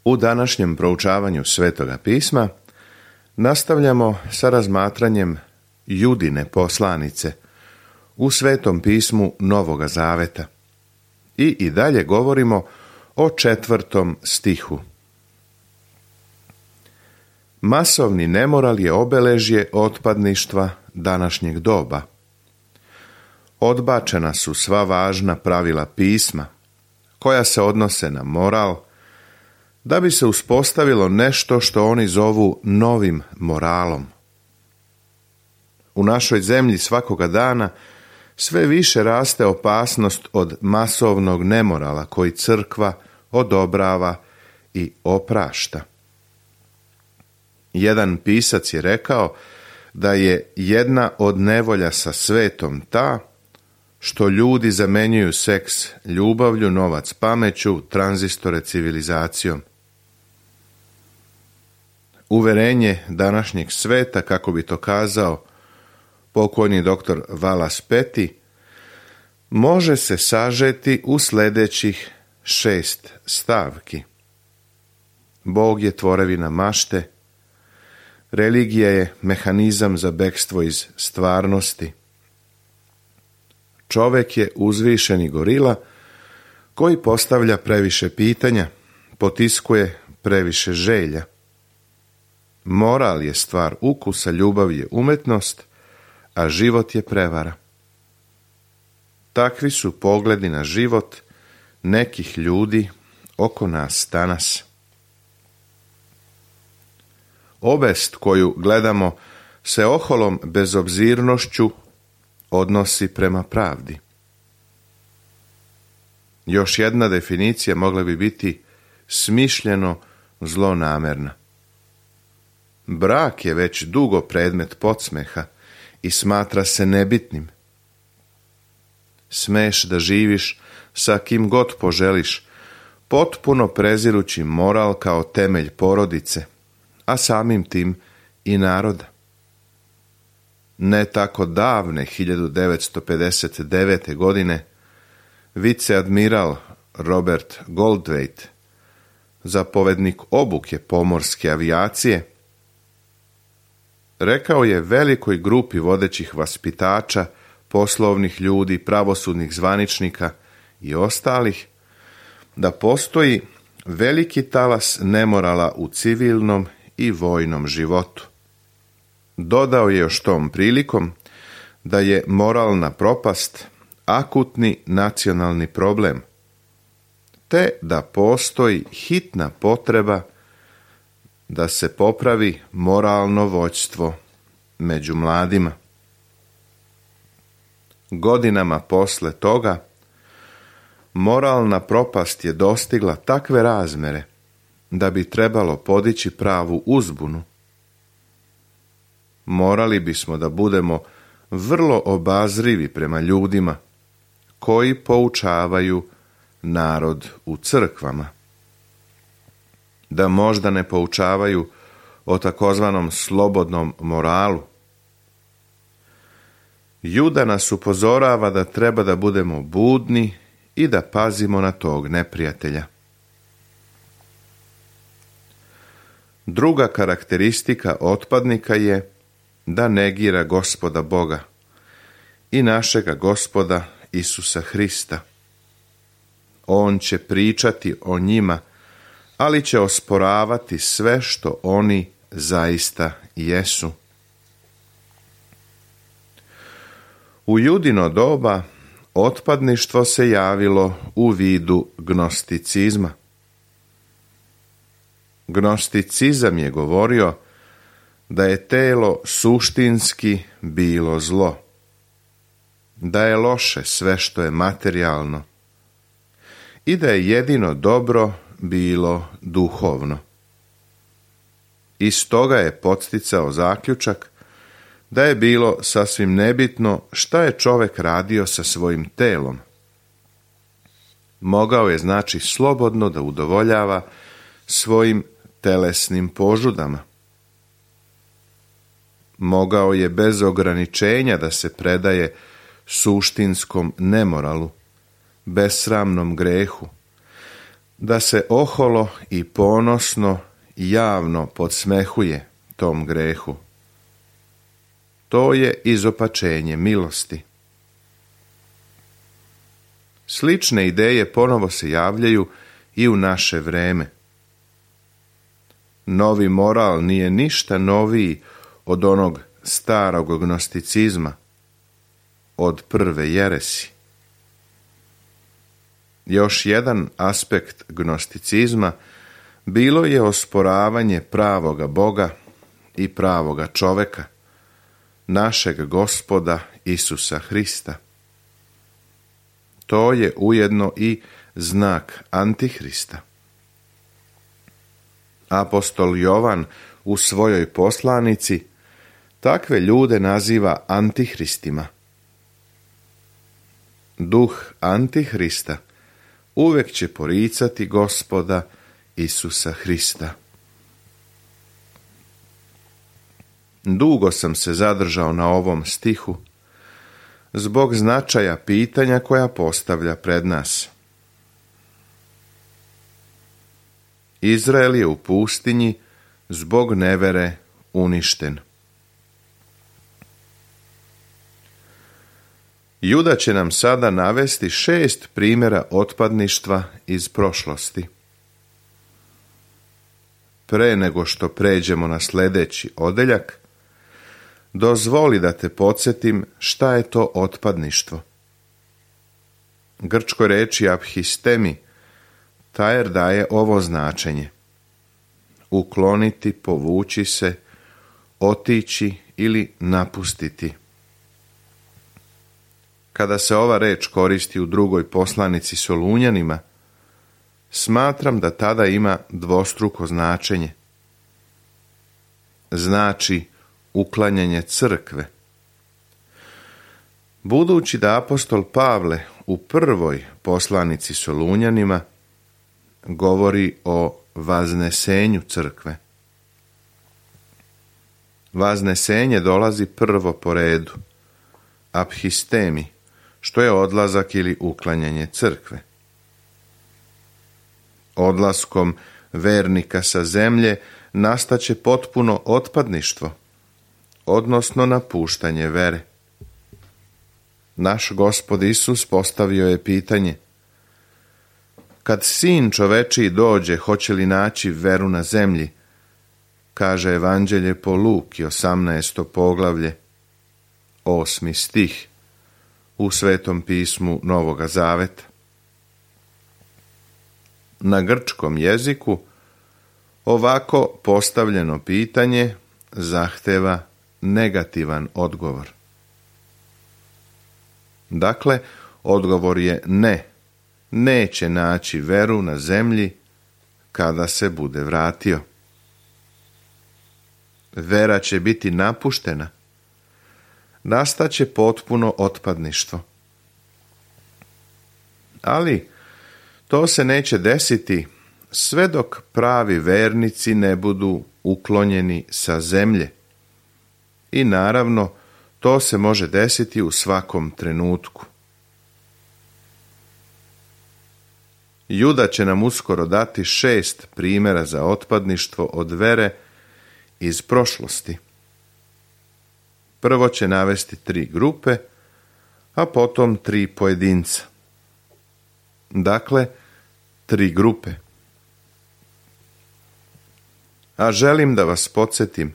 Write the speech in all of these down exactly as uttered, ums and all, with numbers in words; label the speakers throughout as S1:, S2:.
S1: U današnjem proučavanju Svetoga pisma nastavljamo sa razmatranjem Judine poslanice u Svetom pismu Novoga Zaveta i i dalje govorimo o četvrtom stihu. Masovni nemoral je obeležje otpadništva današnjeg doba. Odbačena su sva važna pravila pisma koja se odnose na moral, da bi se uspostavilo nešto što oni zovu novim moralom. U našoj zemlji svakoga dana sve više raste opasnost od masovnog nemorala koji crkva odobrava i oprašta. Jedan pisac je rekao da je jedna od nevolja sa svetom ta što ljudi zamenjuju seks ljubavlju, novac pameću, tranzistore civilizacijom. Uverenje današnjeg sveta, kako bi to kazao pokojni doktor Wallace Petty, može se sažeti u sljedećih šest stavki. Bog je tvorevina mašte, religija je mehanizam za bekstvo iz stvarnosti. Čovek je uzvišeni gorila koji postavlja previše pitanja, potiskuje previše želja. Moral je stvar ukusa, ljubav je umetnost, a život je prevara. Takvi su pogledi na život nekih ljudi oko nas danas. Obest koju gledamo se oholom bezobzirnošću odnosi prema pravdi. Još jedna definicija mogla bi biti smišljeno zlonamerna. Brak je već dugo predmet podsmeha i smatra se nebitnim. Smeš da živiš sa kim god poželiš, potpuno prezirući moral kao temelj porodice, a samim tim i naroda. Ne tako davne hiljadu devetsto pedeset devete. godine viceadmiral Robert Goldthwait, zapovednik obuke pomorske avijacije, rekao je velikoj grupi vodećih vaspitača, poslovnih ljudi, pravosudnih zvaničnika i ostalih da postoji veliki talas nemorala u civilnom i vojnom životu. Dodao je još tom prilikom da je moralna propast akutni nacionalni problem, te da postoji hitna potreba da se popravi moralno vođstvo među mladima. Godinama posle toga moralna propast je dostigla takve razmere da bi trebalo podići pravu uzbunu. Morali bismo da budemo vrlo obazrivi prema ljudima koji poučavaju narod u crkvama. Da možda ne poučavaju o takozvanom slobodnom moralu. Juda nas upozorava da treba da budemo budni i da pazimo na tog neprijatelja. Druga karakteristika otpadnika je da negira Gospoda Boga i našega Gospoda Isusa Hrista. On će pričati o njima, ali će osporavati sve što oni zaista jesu. U Judino doba otpadništvo se javilo u vidu gnosticizma. Gnosticizam je govorio da je telo suštinski bilo zlo, da je loše sve što je materijalno i da je jedino dobro bilo duhovno. Iz toga je podsticao zaključak da je bilo sasvim nebitno šta je čovek radio sa svojim telom. Mogao je znači slobodno da udovoljava svojim telesnim požudama. Mogao je bez ograničenja da se predaje suštinskom nemoralu, besramnom grehu, da se oholo i ponosno javno podsmehuje tom grehu. To je izopačenje milosti. Slične ideje ponovo se javljaju i u naše vreme. Novi moral nije ništa noviji od onog starog gnosticizma, od prve jeresi. Još jedan aspekt gnosticizma bilo je osporavanje pravoga Boga i pravoga čoveka, našeg Gospoda Isusa Hrista. To je ujedno i znak Antihrista. Apostol Jovan u svojoj poslanici takve ljude naziva antihristima. Duh Antihrista uvek će poricati Gospoda Isusa Hrista. Dugo sam se zadržao na ovom stihu zbog značaja pitanja koja postavlja pred nas. Izrael je u pustinji zbog nevere uništen. Juda će nam sada navesti šest primjera otpadništva iz prošlosti. Pre nego što pređemo na sljedeći odeljak, dozvoli da te podsjetim šta je to otpadništvo. Grčkoj reči abhistemi Tajer daje ovo značenje: ukloniti, povući se, otići ili napustiti. Kada se ova reč koristi u drugoj poslanici Solunjanima, smatram da tada ima dvostruko značenje. Znači uklanjanje crkve. Budući da apostol Pavle u prvoj poslanici Solunjanima govori o vaznesenju crkve. Vaznesenje dolazi prvo po redu, abhistemi, što je odlazak ili uklanjanje crkve. Odlaskom vernika sa zemlje nastaće potpuno otpadništvo, odnosno napuštanje vere. Naš Gospod Isus postavio je pitanje: kad sin čovečiji dođe, hoće li naći veru na zemlji? Kaže Evanđelje po Luki, osamnaesto poglavlje, osmi stih u Svetom pismu Novoga Zaveta. Na grčkom jeziku ovako postavljeno pitanje zahteva negativan odgovor. Dakle, odgovor je ne, neće naći veru na zemlji kada se bude vratio. Vera će biti napuštena, nastaće potpuno otpadništvo. Ali to se neće desiti sve dok pravi vernici ne budu uklonjeni sa zemlje. I naravno, to se može desiti u svakom trenutku. Juda će nam uskoro dati šest primjera za otpadništvo od vere iz prošlosti. Prvo će navesti tri grupe, a potom tri pojedinca. Dakle, tri grupe. A želim da vas podsjetim,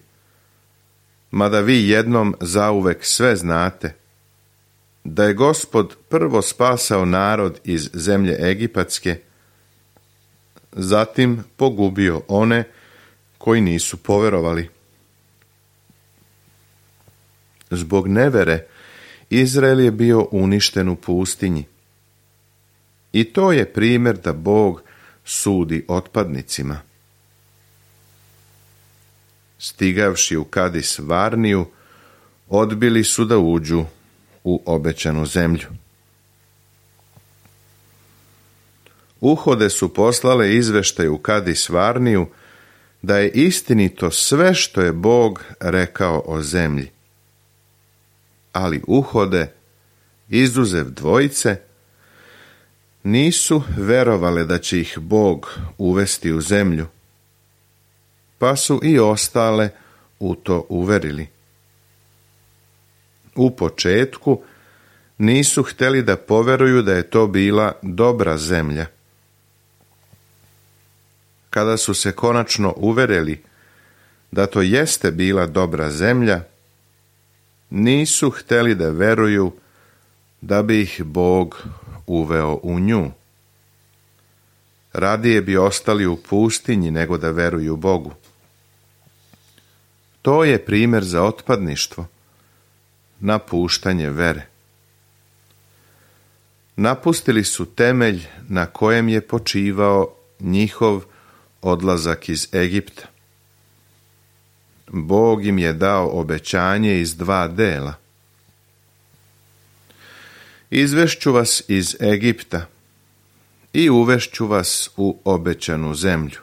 S1: mada vi jednom zauvek sve znate, da je Gospod prvo spasao narod iz zemlje Egipatske, zatim pogubio one koji nisu poverovali. Zbog nevere Izrael je bio uništen u pustinji. I to je primjer da Bog sudi otpadnicima. Stigavši u Kadis Varniju, odbili su da uđu u obećanu zemlju. Uhode su poslale izveštaj u Kadis Varniju da je istinito sve što je Bog rekao o zemlji. Ali Uhode, izuzev dvojice, nisu verovale da će ih Bog uvesti u zemlju, pa su i ostale u to uverili. U početku nisu htjeli da poveruju da je to bila dobra zemlja. Kada su se konačno uverili da to jeste bila dobra zemlja, nisu htjeli da veruju da bi ih Bog uveo u nju. Radije bi ostali u pustinji nego da veruju Bogu. To je primjer za otpadništvo, napuštanje vere. Napustili su temelj na kojem je počivao njihov odlazak iz Egipta. Bog im je dao obećanje iz dva dela. Izvešću vas iz Egipta i uvešću vas u obećanu zemlju.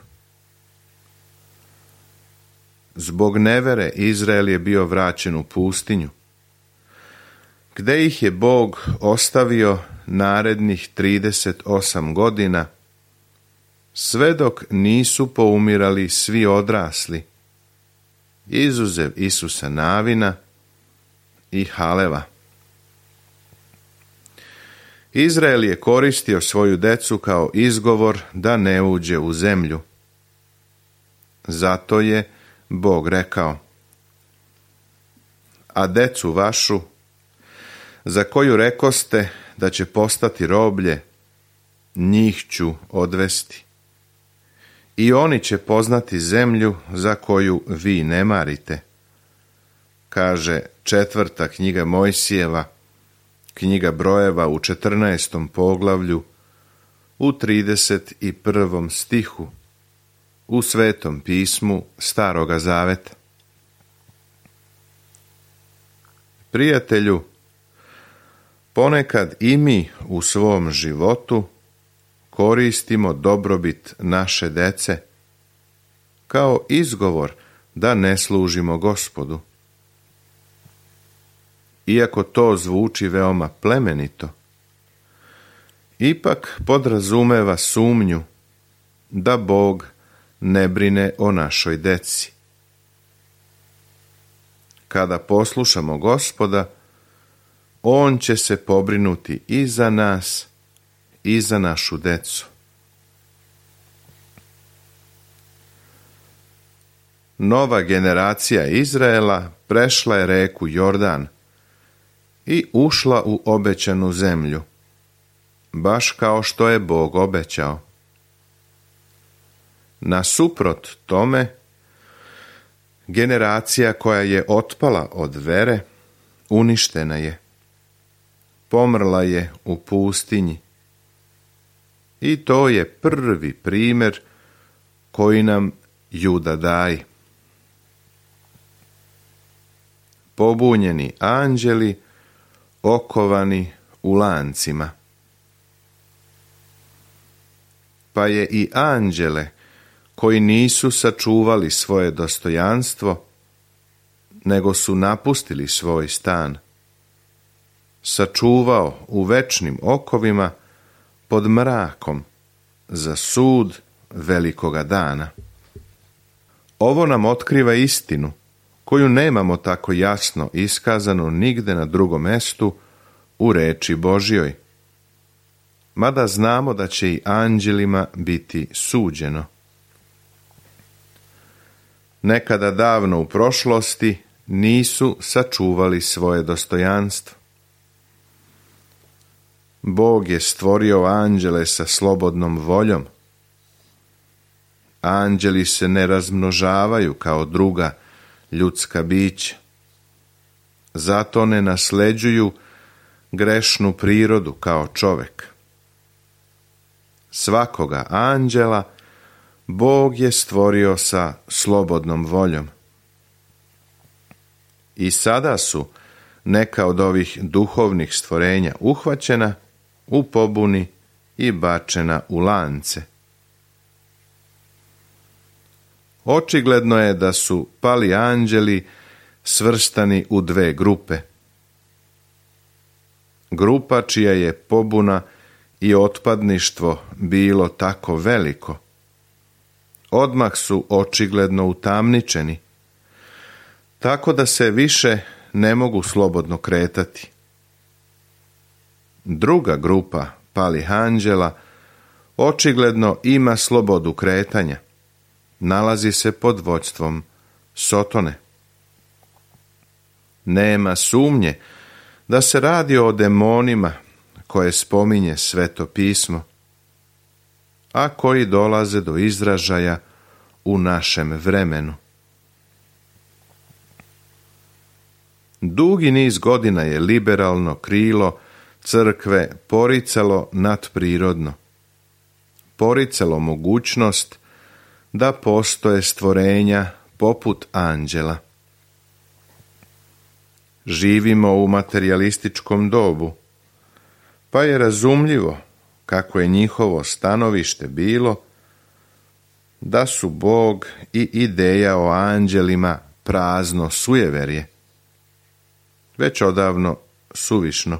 S1: Zbog nevere Izrael je bio vraćen u pustinju, gde ih je Bog ostavio narednih trideset osam godina, sve dok nisu poumirali svi odrasli, izuzev Isusa Navina i Haleva. Izrael je koristio svoju decu kao izgovor da ne uđe u zemlju. Zato je Bog rekao: a decu vašu, za koju rekoste da će postati roblje, njih ću odvesti. I oni će poznati zemlju za koju vi ne marite. Kaže četvrta knjiga Mojsijeva, knjiga Brojeva u četrnaestom poglavlju, u trideset prvom stihu, u Svetom pismu Staroga Zaveta. Prijatelju, ponekad i mi u svom životu koristimo dobrobit naše dece kao izgovor da ne služimo Gospodu. Iako to zvuči veoma plemenito, ipak podrazumeva sumnju da Bog ne brine o našoj deci. Kada poslušamo Gospoda, On će se pobrinuti i za nas i za našu decu. Nova generacija Izraela prešla je reku Jordan i ušla u obećanu zemlju, baš kao što je Bog obećao. Nasuprot tome, generacija koja je otpala od vere, uništena je. Pomrla je u pustinji. I to je prvi primjer koji nam Juda daje. Pobunjeni anđeli okovani u lancima. Pa je i anđele koji nisu sačuvali svoje dostojanstvo, nego su napustili svoj stan, sačuvao u večnim okovima pod mrakom za sud velikoga dana. Ovo nam otkriva istinu koju nemamo tako jasno iskazanu nigde na drugom mestu u reči Božjoj, mada znamo da će i anđelima biti suđeno. Nekada davno u prošlosti nisu sačuvali svoje dostojanstvo. Bog je stvorio anđele sa slobodnom voljom. Anđeli se ne razmnožavaju kao druga ljudska bića. Zato ne nasleđuju grešnu prirodu kao čovek. Svakoga anđela Bog je stvorio sa slobodnom voljom. I sada su neka od ovih duhovnih stvorenja uhvaćena u pobuni i bačena u lance. Očigledno je da su pali anđeli svrstani u dve grupe. Grupa čija je pobuna i otpadništvo bilo tako veliko, odmah su očigledno utamničeni, tako da se više ne mogu slobodno kretati. Druga grupa palih anđela očigledno ima slobodu kretanja, nalazi se pod vođstvom Sotone. Nema sumnje da se radi o demonima koje spominje Sveto pismo, a koji dolaze do izražaja u našem vremenu. Dugi niz godina je liberalno krilo crkve poricalo nadprirodno, poricalo mogućnost da postoje stvorenja poput anđela. Živimo u materijalističkom dobu, pa je razumljivo kako je njihovo stanovište bilo da su Bog i ideja o anđelima prazno sujeverje, već odavno suvišno.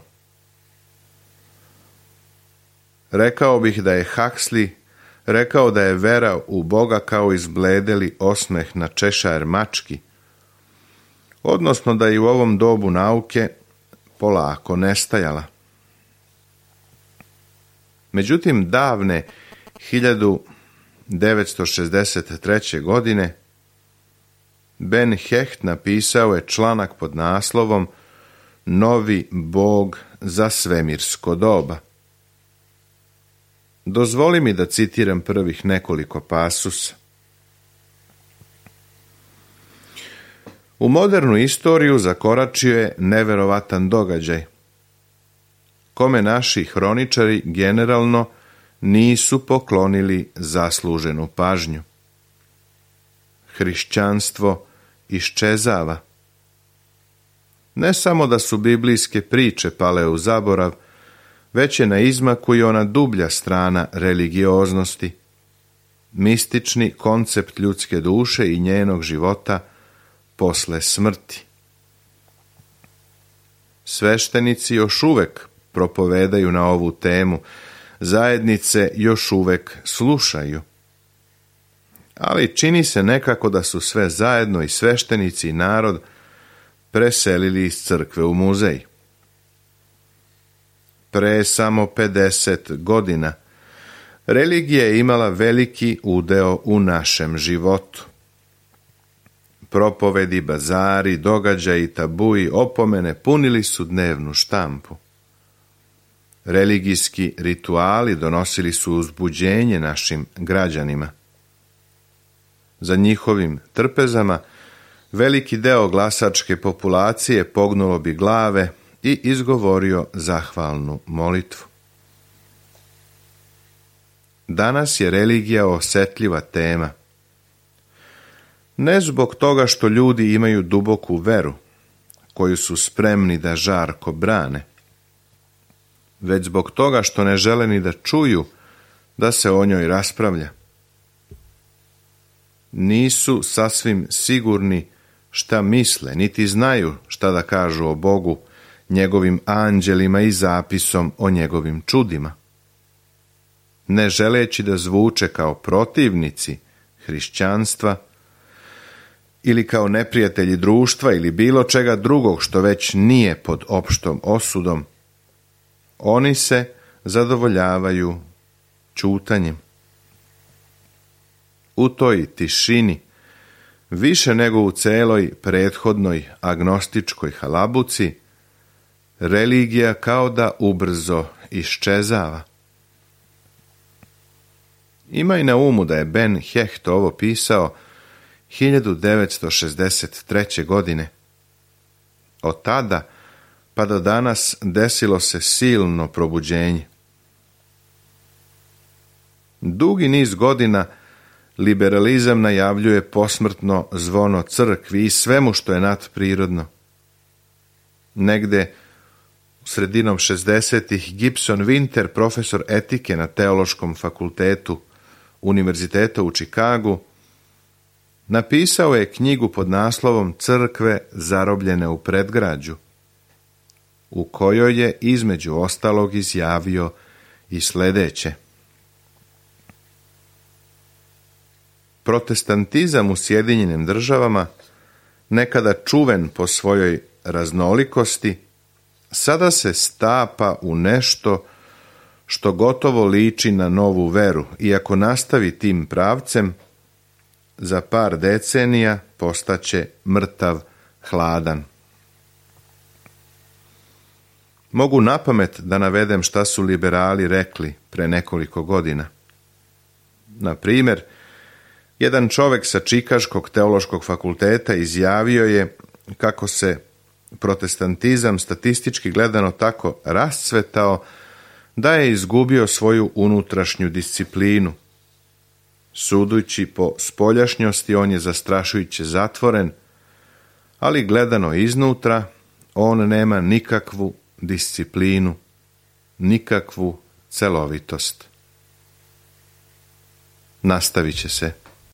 S1: Rekao bih da je Huxley rekao da je vera u Boga kao izbledeli osmeh na češajer mački, odnosno da je u ovom dobu nauke polako nestajala. Međutim, davne hiljadu devetsto šezdeset treće. godine Ben Hecht napisao je članak pod naslovom Novi Bog za svemirsko doba. Dozvoli mi da citiram prvih nekoliko pasusa. U modernu istoriju zakoračio je neverovatan događaj, kome naši hroničari generalno nisu poklonili zasluženu pažnju. Hrišćanstvo iščezava. Ne samo da su biblijske priče pale u zaborav, već je na izmaku i ona dublja strana religioznosti, mistični koncept ljudske duše i njenog života posle smrti. Sveštenici još uvek propovedaju na ovu temu, zajednice još uvek slušaju. Ali čini se nekako da su sve zajedno i sveštenici i narod preselili iz crkve u muzej. Pre samo pedeset godina religija je imala veliki udeo u našem životu. Propovedi, bazari, događaji, tabuji, opomene punili su dnevnu štampu. Religijski rituali donosili su uzbuđenje našim građanima. Za njihovim trpezama veliki deo glasačke populacije pognulo bi glave i izgovorio zahvalnu molitvu. Danas je religija osetljiva tema. Ne zbog toga što ljudi imaju duboku veru, koju su spremni da žarko brane, već zbog toga što ne žele ni da čuju da se o njoj raspravlja. Nisu sasvim sigurni šta misle, niti znaju šta da kažu o Bogu, njegovim anđelima i zapisom o njegovim čudima. Ne želeći da zvuče kao protivnici hrišćanstva ili kao neprijatelji društva ili bilo čega drugog što već nije pod opštom osudom, oni se zadovoljavaju ćutanjem. U toj tišini, više nego u celoj prethodnoj agnostičkoj halabuci, religija kao da ubrzo iščezava. Imaj na umu da je Ben Hecht ovo pisao hiljadu devetsto šezdeset treće. godine. Od tada pa do danas desilo se silno probuđenje. Dugi niz godina liberalizam najavljuje posmrtno zvono crkvi i svemu što je nadprirodno. Negde u sredinom šezdesetih Gibson Winter, profesor etike na Teološkom fakultetu Univerziteta u Čikagu, napisao je knjigu pod naslovom Crkve zarobljene u predgrađu, u kojoj je između ostalog izjavio i sljedeće. Protestantizam u Sjedinjenim Državama, nekada čuven po svojoj raznolikosti, sada se stapa u nešto što gotovo liči na novu veru, i ako nastavi tim pravcem, za par decenija postaće mrtav hladan. Mogu napamet da navedem šta su liberali rekli pre nekoliko godina. Na primjer, jedan čovjek sa Čikaškog teološkog fakulteta izjavio je kako se protestantizam statistički gledano tako rascvetao da je izgubio svoju unutrašnju disciplinu. Sudujući po spoljašnjosti, on je zastrašujuće zatvoren, ali gledano iznutra, on nema nikakvu disciplinu, nikakvu celovitost. Nastavit će se.